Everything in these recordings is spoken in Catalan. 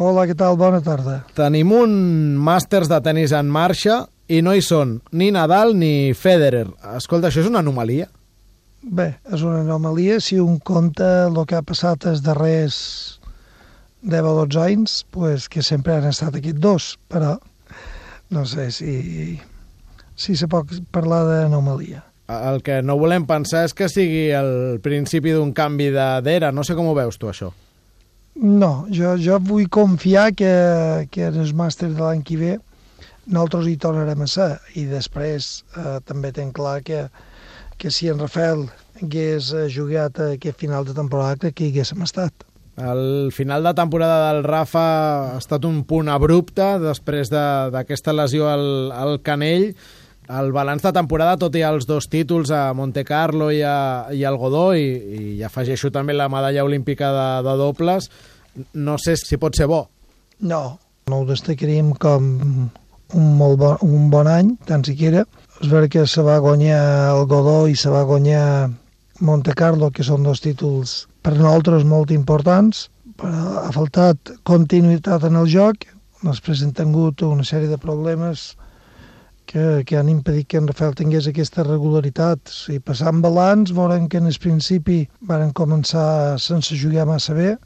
Hola, què tal? Bona tarda. Tenim un màsters de tenis en marxa i no hi són ni Nadal ni Federer. Escolta, això és una anomalia? Bé, és una anomalia si un compta el que ha passat els darrers 10 o 12 anys, pues, que sempre han estat aquests dos, però no sé si se pot parlar d'anomalia. El que no volem pensar és que sigui el principi d'un canvi d'era. No sé com ho veus tu, això. No, jo vull confiar que en els màsters de l'any que ve nosaltres hi tornarem a ser, i després també tenc clar que si en Rafael hagués jugat aquest final de temporada, crec que hi haguéssim estat. El final de temporada del Rafa ha estat un punt abrupte després d'aquesta lesió al canell. El balanç de temporada, tot i els 2 títols a Monte Carlo i al Godó, i afegeixo també la medalla olímpica de dobles, no sé si pot ser bo. No ho destacaríem com un bon any, tant siquiera. És veritat que se va guanyar el Godó i se va guanyar Monte Carlo, que són 2 títols per nosaltres molt importants, però ha faltat continuïtat en el joc. Després hem tingut una sèrie de problemes que han impedit que en Rafael tingués aquesta regularitat. Si passant balanç, veurem que en el principi van començar sense jugar massa bé,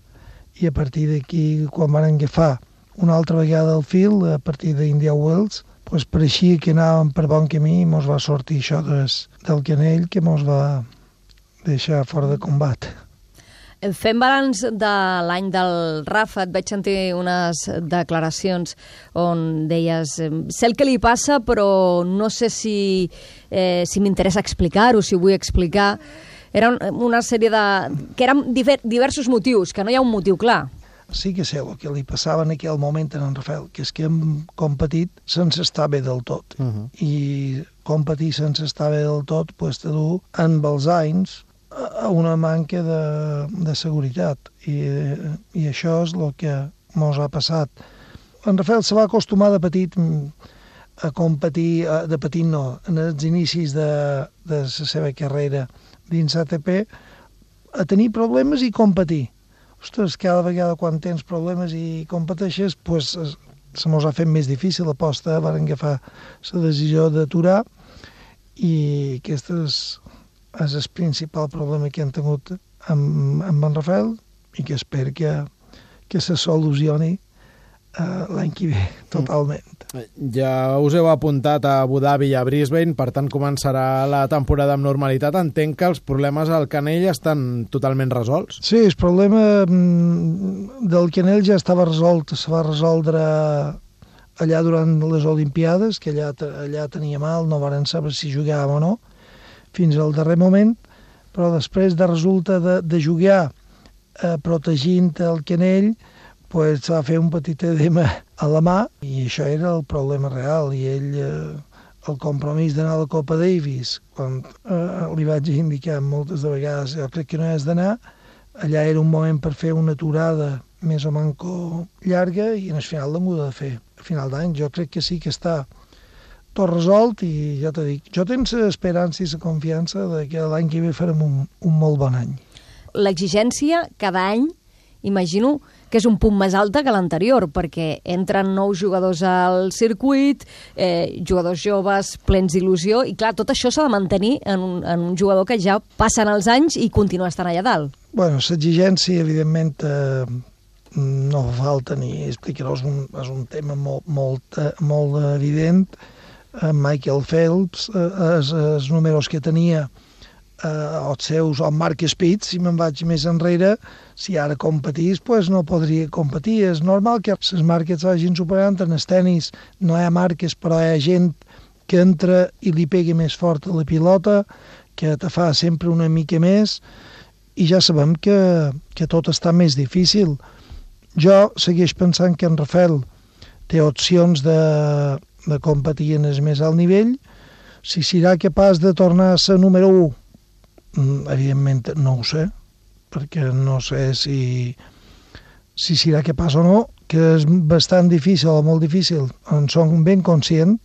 i a partir d'aquí, quan van agafar una altra vegada el fil, a partir d'India Wells, pues pareixia que anàvem per bon camí i mos va sortir això del canell, que mos va deixar fora de combat. Fent balanç de l'any del Rafa, et vaig sentir unes declaracions on deies sé el que li passa, però no sé si m'interessa explicar-ho, si ho vull explicar. Era una sèrie que eren diversos motius, que no hi ha un motiu clar. Sí que sé el que li passava en aquell moment a en Rafael, que és que hem competit sense estar bé del tot. I competir sense estar bé del tot pues, te du amb els anys a una manca de seguretat, i això és el que mos ha passat. En Rafael se va acostumar de petit a competir, de petit no, en els inicis de la seva carrera dins ATP, a tenir problemes i competir. Ostres, cada vegada quan tens problemes i competeixes, pues, se mos ha fet més difícil. Aposta van agafar la decisió d'aturar, i aquest és el principal problema que han tingut amb en Rafael, i que espero que se solucioni l'any que ve totalment. Ja us heu apuntat a Abu Dhabi i a Brisbane, per tant començarà la temporada amb normalitat. Entenc que els problemes al canell estan totalment resolts? Sí, el problema del canell ja estava resolt, se va resoldre allà durant les Olimpiades, que allà tenia mal, no varen saber si jugàvem o no, fins al darrer moment, però després resulta de jugar protegint el canell, pues, va fer un petit edema a la mà, i això era el problema real. I ell, el compromís d'anar a la Copa Davis, quan li vaig indicar moltes de vegades, jo crec que no has d'anar, allà era un moment per fer una aturada més o manco llarga, i en el final l'hem de fer. A final d'any jo crec que sí que està tot resolt, i ja t'ho dic, jo tinc l'esperança i la confiança de que l'any que ve farem un molt bon any. L'exigència cada any, imagino que és un punt més alta que l'anterior, perquè entren nous jugadors al circuit, jugadors joves, plens d'il·lusió, i clar, tot això s'ha de mantenir en un jugador que ja passen els anys i continua estant allà dalt. Bueno, l'exigència, evidentment, no fa falta ni explicar-ho, és un tema molt evident. Michael Phelps, els números que tenia, els seus, o Mark Spitz, si me'n vaig més enrere, si ara competís, pues no podria competir. És normal que les marques vagin superant. En els tenis no hi ha marques, però hi ha gent que entra i li pega més fort a la pilota, que te fa sempre una mica més, i ja sabem que tot està més difícil. Jo segueix pensant que en Rafael té opcions de competir en el més alt nivell. Si serà capaç de tornar a ser número 1, evidentment no ho sé, perquè no sé si serà capaç o no, que és bastant difícil o molt difícil. En som ben conscient,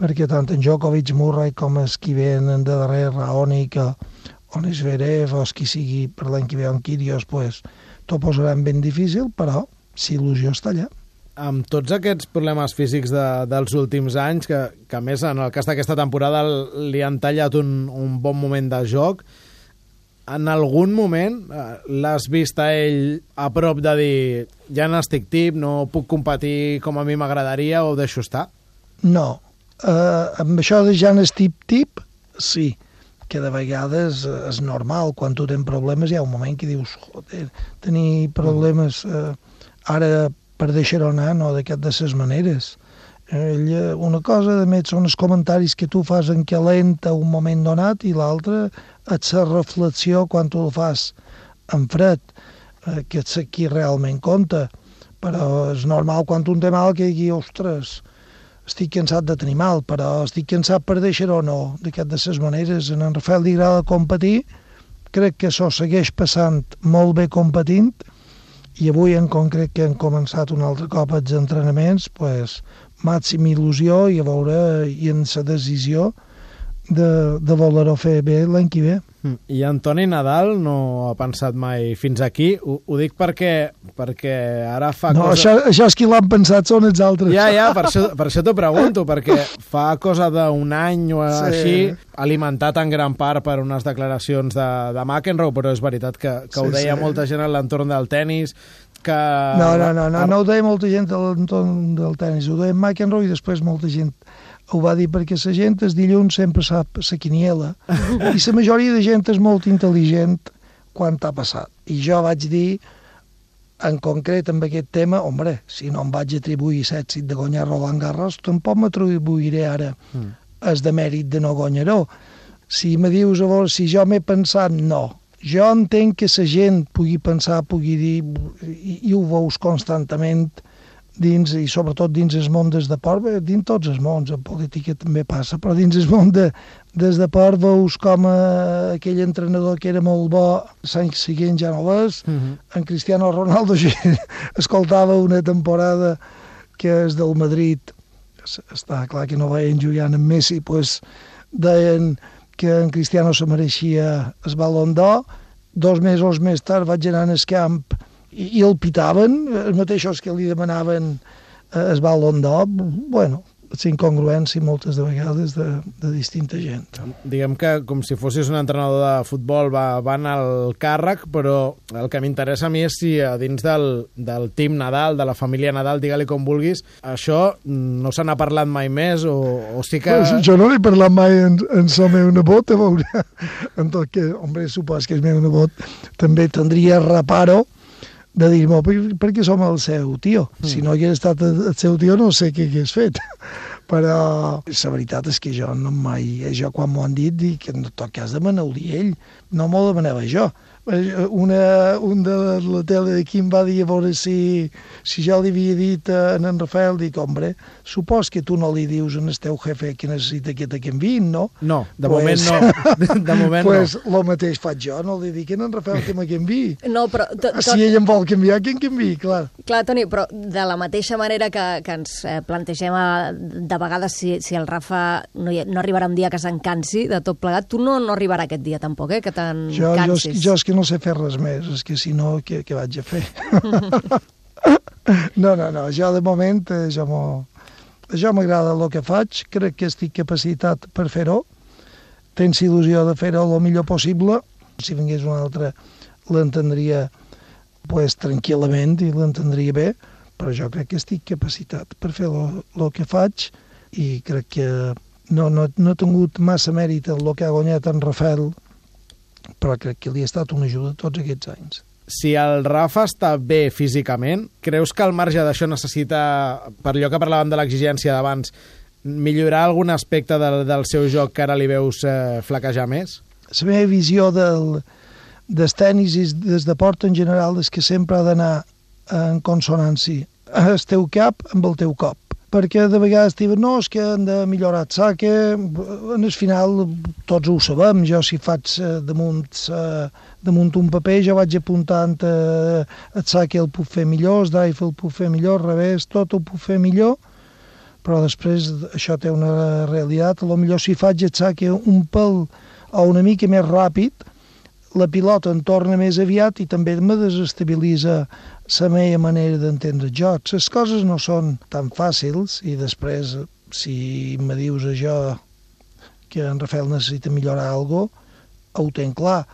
perquè tant en Djokovic, Murray, com els que venen de darrere, Raonic, o Zverev, o els qui sigui per l'any que ve en Kyrgios, pues, t'ho posaran ben difícil, però si il·lusió està allà. Amb tots aquests problemes físics dels últims anys, que a més en el cas d'aquesta temporada li han tallat un bon moment de joc, en algun moment l'has vist a ell a prop de dir ja n'estic tip, no puc competir com a mi m'agradaria o deixo estar? No. Amb això de ja n'estic tip, sí, que de vegades és normal, quan tu tens problemes hi ha un moment que dius, joder, tenir problemes ara per deixar-ho anar, no d'aquestes maneres. Una cosa, de més, són els comentaris que tu fas en calent a un moment donat i l'altra és la reflexió quan tu el fas en fred, que és qui realment compta. Però és normal quan un té mal que digui, ostres, estic cansat de tenir mal, però estic cansat per deixar-ho o no, d'aquestes maneres. En Rafael li agrada competir, crec que s'ho segueix passant molt bé competint, i avui en concret que hem començat un altre cop els entrenaments, pues, màxima il·lusió i a veure i en la decisió de voler-ho fer bé l'any que ve. I Antoni Nadal no ha pensat mai fins aquí? Ho dic perquè ara fa no, cosa... Això és qui l'han pensat, són els altres. Ja, per això t'ho pregunto, perquè fa cosa d'un any o així, alimentat en gran part per unes declaracions de McEnroe, però és veritat que ho deia molta gent a l'entorn del tennis, que... No ho deia molta gent a l'entorn del tennis, ho deia McEnroe i després molta gent ho va dir perquè la gent el dilluns sempre sap la quiniela i la majoria de gent és molt intel·ligent quan t'ha passat. I jo vaig dir, en concret amb aquest tema, home, si no em vaig atribuir l'èxit de guanyar Roland Garros, tampoc m'atribuiré ara el de mèrit de no guanyar-ho. Si me dius, a veure, si jo m'he pensat, no. Jo entenc que la gent pugui pensar, pugui dir, i ho veus constantment, dins, i sobretot dins el món del deport, dins tots els mons, en política també passa, però dins el món del deport veus com aquell entrenador que era molt bo, l'any següent ja no l'és, en Cristiano Ronaldo escoltava una temporada que és del Madrid, està clar que no veien jugant amb Messi, pues deien que en Cristiano se mereixia el Ballon d'Or, 2 mesos més tard vaig anar al camp i el pitaven, els mateixos que li demanaven el Ballon d'Or. Bueno, és incongruència moltes de vegades de distinta gent. Diguem que com si fossis un entrenador de futbol van al càrrec, però el que m'interessa a mi és si a dins del team Nadal, de la família Nadal, digue-li com vulguis, això no se n'ha parlat mai més o sí que... Pues jo no l'he parlat mai en el meu nebot, a veure. En tot que, home, supos que el meu nebot també tindria reparo de dir-me, perquè som el seu tio. Si no hagués estat el seu tio no sé què hagués fet. Però la veritat és que jo no mai... Jo quan m'ho han dit, dic que en tot cas demaneu-ho ell, no m'ho demanava jo. Un de la tele d'aquí em va dir a veure si jo li havia dit a en Rafael, dic, home, supos que tu no li dius al teu jefe que necessita que te canviïn, no? No, de moment no. De moment pues no. Lo mateix faig jo, no li dic a en Rafael que me canviï. No, però... Si ell em vol canviar, que em canviï, clar. Clar, Toni, però de la mateixa manera que ens plantegem de vegades si el Rafa no arribarà un dia que se'n cansi de tot plegat, tu no arribarà aquest dia tampoc, que te'n cansis. Jo és que no sé fer res més, és que si no, què vaig a fer? No, jo de moment, jo m'agrada el que faig, crec que estic capacitat per fer-ho, tens il·lusió de fer-ho el millor possible, si vingués un altre l'entendria pues, tranquil·lament i l'entendria bé, però jo crec que estic capacitat per fer el que faig i crec que no he tingut massa mèrit el que ha guanyat en Rafael, però crec que li ha estat una ajuda tots aquests anys. Si el Rafa està bé físicament, creus que al marge d'això necessita, per allò que parlàvem de l'exigència d'abans, millorar algun aspecte del seu joc que ara li veus flaquejar més? La meva visió del tenis i del deport en general és que sempre ha d'anar en consonància el teu cap amb el teu cop. Perquè de vegades diuen, no, és que han de millorar el saque, en el final tots ho sabem, jo si faig damunt un paper jo vaig apuntant el saque el puc fer millor, el drive el puc fer millor, al revés, tot ho puc fer millor, però després això té una realitat, potser si faig el saque un pèl o una mica més ràpid, la pilota em torna més aviat i també me desestabilitza la meva manera d'entendre el joc. Les coses no són tan fàcils i després, si me dius això que en Rafael necessita millorar alguna cosa, ho tenc clar.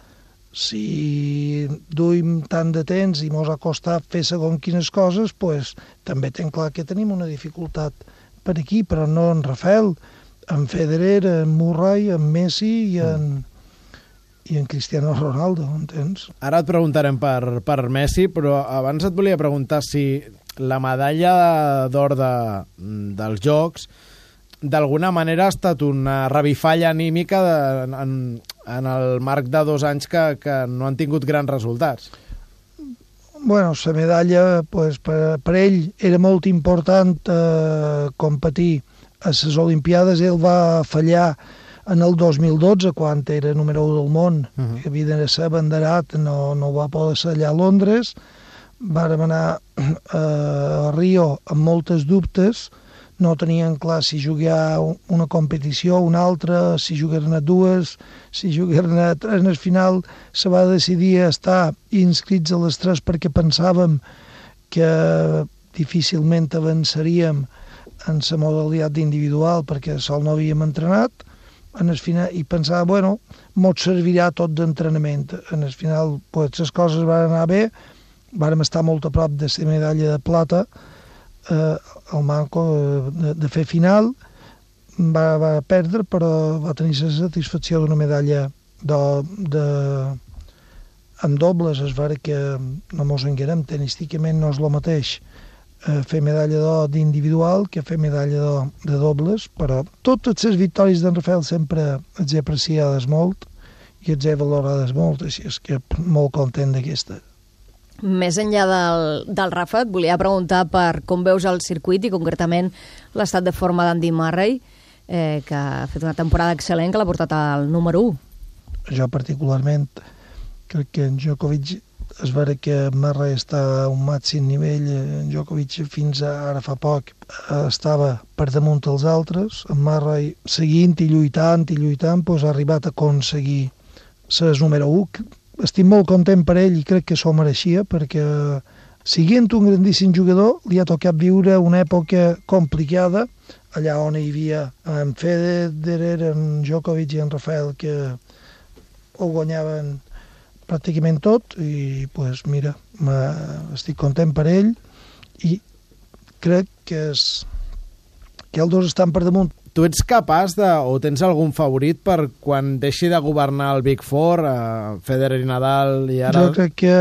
Si duim tant de temps i mos ha costat fer segons quines coses, pues, també tenc clar que tenim una dificultat per aquí, però no en Rafael, en Federer, en Murray, en Messi i en Cristiano Ronaldo, entens? Ara et preguntarem per Messi, però abans et volia preguntar si la medalla d'or dels Jocs d'alguna manera ha estat una revifalla anímica en el marc de 2 anys que no han tingut grans resultats. Bueno, la medalla, pues, per ell era molt important competir a les Olimpiades. Ell va fallar en el 2012, quan era número 1 del món, que havia de ser abanderat, no va poder ser allà a Londres. Vàrem anar a Rio amb moltes dubtes, no tenien clar si jugar una competició o una altra, si jugaran a 2, si jugaran a 3. En el final se va decidir estar inscrits a les 3 perquè pensàvem que difícilment avançaríem en la modalitat individual perquè sol no havíem entrenat. En el final, i pensava, bueno, mos servirà tot d'entrenament. En el final, pues, les coses van anar bé, vàrem estar molt a prop de la medalla de plata, el manco de fer final, va perdre, però va tenir la satisfacció d'una medalla en dobles. És vera que no mos enguerem, tenísticament no és el mateix fer medalla d'or d'individual que fer medalla d'or de dobles, però totes les victòries d'en Rafael sempre les he apreciades molt i les he valorades molt, així és que molt content d'aquesta. Més enllà del Rafa, et volia preguntar per com veus el circuit i concretament l'estat de forma d'Andy Murray, que ha fet una temporada excel·lent, que l'ha portat al número 1. Jo particularment crec que en Djokovic, és vera que Murray està a un màxim nivell. En Djokovic fins ara fa poc estava per damunt dels altres. En Murray seguint i lluitant, doncs ha arribat a aconseguir ser número 1. Estic molt content per ell i crec que s'ho mereixia, perquè siguent un grandíssim jugador li ha tocat viure una època complicada, allà on hi havia en Federer, en Djokovic i en Rafael, que ho guanyaven pràcticament tot, i pues, mira, estic content per ell i crec que els dos estan per damunt. Tu ets capaç o tens algun favorit per quan deixi de governar el Big Four, Federer i Nadal i ara... Jo crec que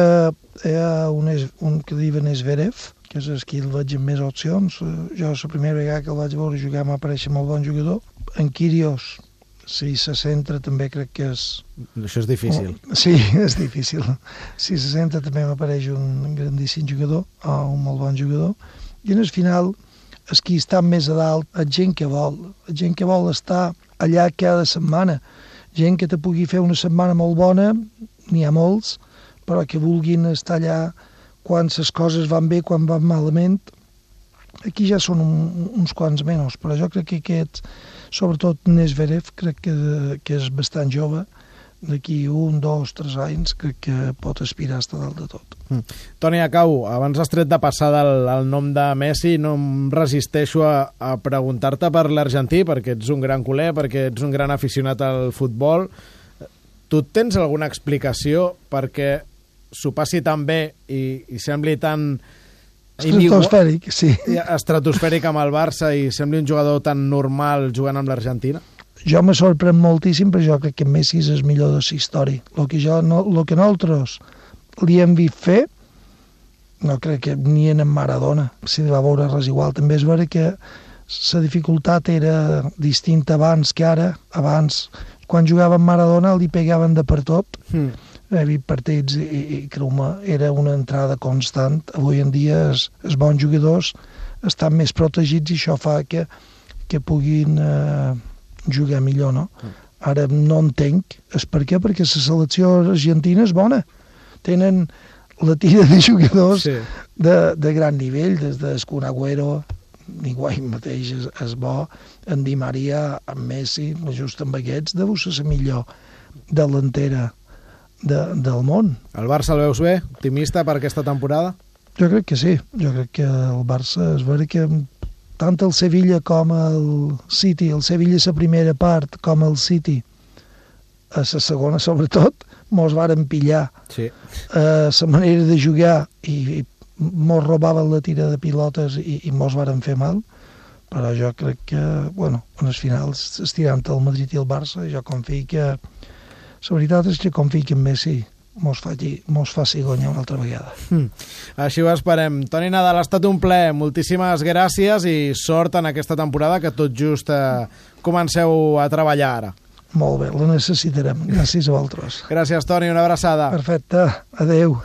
hi ha un que diuen Zverev, que és el que el veig amb més opcions. Jo la primera vegada que el vaig veure jugar m'apareix molt bon jugador. En Kyrgios, si se centra, també crec que és... Això és difícil. Sí, és difícil. Si se centra també m'apareix un grandíssim jugador, o un molt bon jugador. I en el final... és qui està més a dalt, és gent que vol estar allà cada setmana, gent que te pugui fer una setmana molt bona, n'hi ha molts, però que vulguin estar allà quan les coses van bé, quan van malament. Aquí ja són uns quants menys, però jo crec que aquest, sobretot Zverev, crec que és bastant jove, d'aquí 1, 2, 3 anys crec que pot aspirar a estar dalt de tot. Toni Acau, abans has tret de passada el nom de Messi, no em resisteixo a preguntar-te per l'argentí, perquè ets un gran culer, perquè ets un gran aficionat al futbol. Tu tens alguna explicació perquè s'ho passi tan bé i sembli tan... Estratosfèric, sí. Estratosfèric amb el Barça i sembli un jugador tan normal jugant amb l'Argentina? Jo me sorprèn moltíssim, però jo crec que Messi és el millor de la història. El que nosaltres li hem vist fer, no crec que ni en Maradona s'hi va veure res igual. També és vera que la dificultat era distinta abans que ara. Abans, quan jugava amb Maradona, li pegaven de per tot. He vist partits i creu-me, era una entrada constant. Avui en dia els bons jugadors estan més protegits i això fa que puguin... jugar millor, no? Ara no entenc. És per què? Perquè la selecció argentina és bona. Tenen la tira de jugadors de gran nivell, des de Kun Agüero, Higuaín mateix és bo, en Di Maria, en Messi, just amb aquests, deu ser la millor delantera del món. El Barça el veus bé? Optimista per aquesta temporada? Jo crec que sí. Jo crec que el Barça, és vera que tant el Sevilla com el City, el Sevilla a la primera part com el City a la segona sobretot, mos varen pillar la manera de jugar i mos robaven la tira de pilotes i mos varen fer mal, però jo crec que, bueno, en els finals estirant el Madrid i el Barça, jo confio que, la veritat és que confio que en Messi mos faci guanyar una altra vegada. Així ho esperem. Toni Nadal, ha estat un plaer. Moltíssimes gràcies i sort en aquesta temporada que tot just comenceu a treballar ara. Molt bé, la necessitarem. Gràcies a vosaltres. Gràcies, Toni, una abraçada. Perfecte, adeu.